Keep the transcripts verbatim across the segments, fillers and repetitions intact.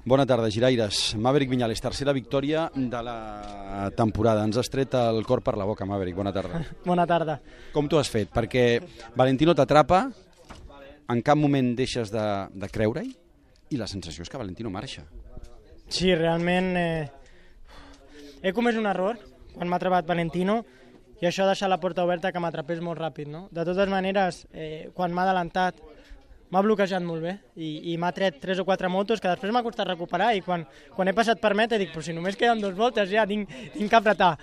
Bona tarda, giraires. Maverick Viñales, tercera victòria de la temporada. Ens has tret el cor per la boca, Maverick. Bona tarda. Bona tarda. Com t'ho has fet? Perquè Valentino t'atrapa, en cap moment deixes de, de creure-hi i la sensació és que Valentino marxa. Sí, realment eh, he comès un error quan m'ha atrapat Valentino i això ha deixat la porta oberta que m'atrapés molt ràpid. No? De totes maneres, eh, quan m'ha adelantat, m'ha bloquejat molt bé i, i m'ha tret tres o quatre motos que després m'ha costat recuperar i quan, quan he passat per meta dic, però si només queden dues voltes ja tinc, tinc que apretar.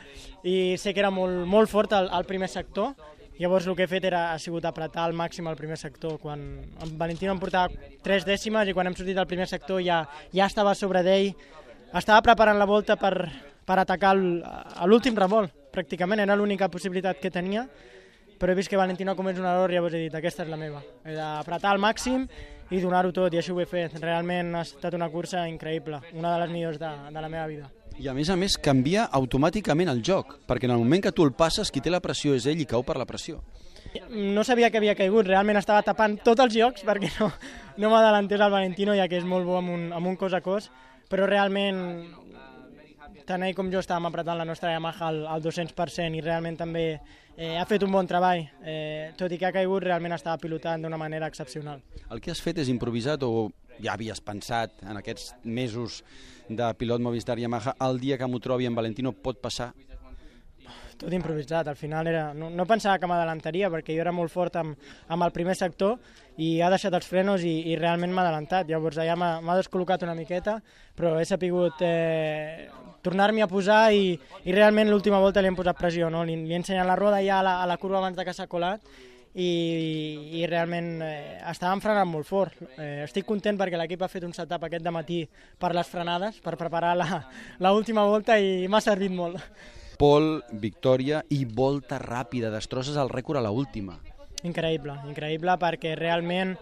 I sé que era molt, molt fort el, el primer sector, llavors el que he fet era, ha sigut apretar al màxim el primer sector. Quan en Valentino em portava tres dècimes i quan hem sortit del primer sector ja, ja estava a sobre d'ell, estava preparant la volta per, per atacar l'últim revolt, pràcticament era l'única possibilitat que tenia, però he vist que Valentino ha comès un error i llavors he dit, aquesta és la meva. He d'apretar al màxim i donar-ho tot, i així ho he fet. Realment ha estat una cursa increïble, una de les millors de, de la meva vida. I a més a més canvia automàticament el joc, perquè en el moment que tu el passes, qui té la pressió és ell i cau per la pressió. No sabia que havia caigut, realment estava tapant tots els jocs perquè no, no m'adalantés el Valentino, ja que és molt bo amb un, amb un cos a cos, però realment tant ell com jo estàvem apretant la nostra Yamaha al, al dos-cents per cent i realment també eh, ha fet un bon treball. Eh, tot i que ha caigut, realment estava pilotant d'una manera excepcional. El que has fet és improvisat o ja havies pensat en aquests mesos de pilot Movistar Yamaha, el dia que m'ho trobi en Valentino pot passar? Tot improvisat, al final era... no, no pensava que m'adalantaria perquè jo era molt fort amb, amb el primer sector i ha deixat els frenos i, i realment m'ha adalantat. Llavors allà m'ha descol·locat una miqueta, però he sapigut eh, tornar-m'hi a posar i, i realment l'última volta li hem posat pressió. No? Li, li he ensenyat la roda ja a la, a la curva abans de que s'ha colat i, i realment eh, estàvem frenant molt fort. Eh, estic content perquè l'equip ha fet un setup aquest dematí per les frenades, per preparar l'última volta i m'ha servit molt. Pol, victòria i volta ràpida, destrosses el rècord a l'última. Increïble, increïble perquè realment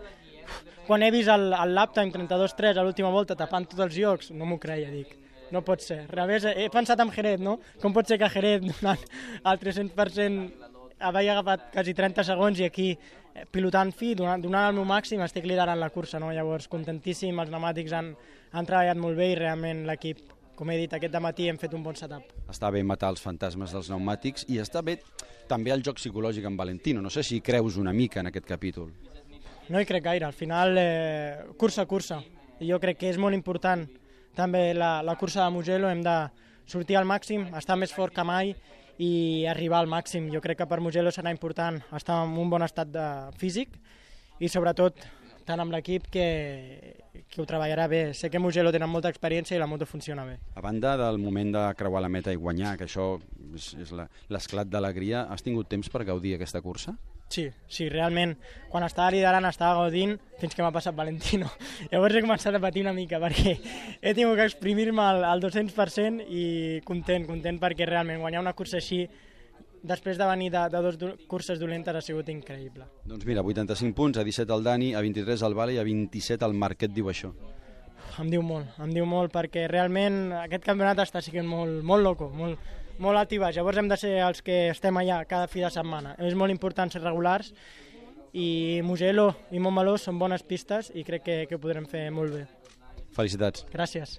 quan he vist el, el lap time trenta-dos tres a l'última volta tapant tots els llocs, no m'ho creia, dic, no pot ser. Revés, he pensat en Jerez, no? Com pot ser que Jerez donant el tres-cents per cent havia agafat quasi trenta segons i aquí pilotant fi, donant, donant el meu màxim, estic liderant la cursa, no? Llavors contentíssim, els pneumàtics han, han treballat molt bé i realment l'equip, com he dit, aquest dematí hem fet un bon setup. Està bé matar els fantasmes dels pneumàtics i està bé també el joc psicològic amb Valentino. No sé si creus una mica en aquest capítol. No hi crec gaire. Al final, eh, cursa a cursa. I jo crec que és molt important també la, la cursa de Mugello. Hem de sortir al màxim, estar més fort que mai i arribar al màxim. Jo crec que per Mugello serà important estar en un bon estat de físic i sobretot tant amb l'equip que, que ho treballarà bé. Sé que Mugello tenen molta experiència i la moto funciona bé. A banda del moment de creuar la meta i guanyar, que això és, és l'esclat d'alegria, has tingut temps per gaudir aquesta cursa? Sí, sí, realment, quan estava liderant estava gaudint fins que m'ha passat Valentino. Llavors he començat a patir una mica perquè he tingut que exprimir-me al, al dos-cents per cent i content, content perquè realment guanyar una cursa així després de venir de, de dues curses dolentes ha sigut increïble. Doncs mira, vuitanta-cinc punts, a disset el Dani, a vint-i-tres el Vale i a vint-i-set el Marc. Què et diu això? Em diu molt, em diu molt perquè realment aquest campionat està sent molt, molt loco, molt, molt alt i baix. Llavors hem de ser els que estem allà cada fi de setmana. És molt important ser regulars i Mugello i Montmeló són bones pistes i crec que, que ho podrem fer molt bé. Felicitats. Gràcies.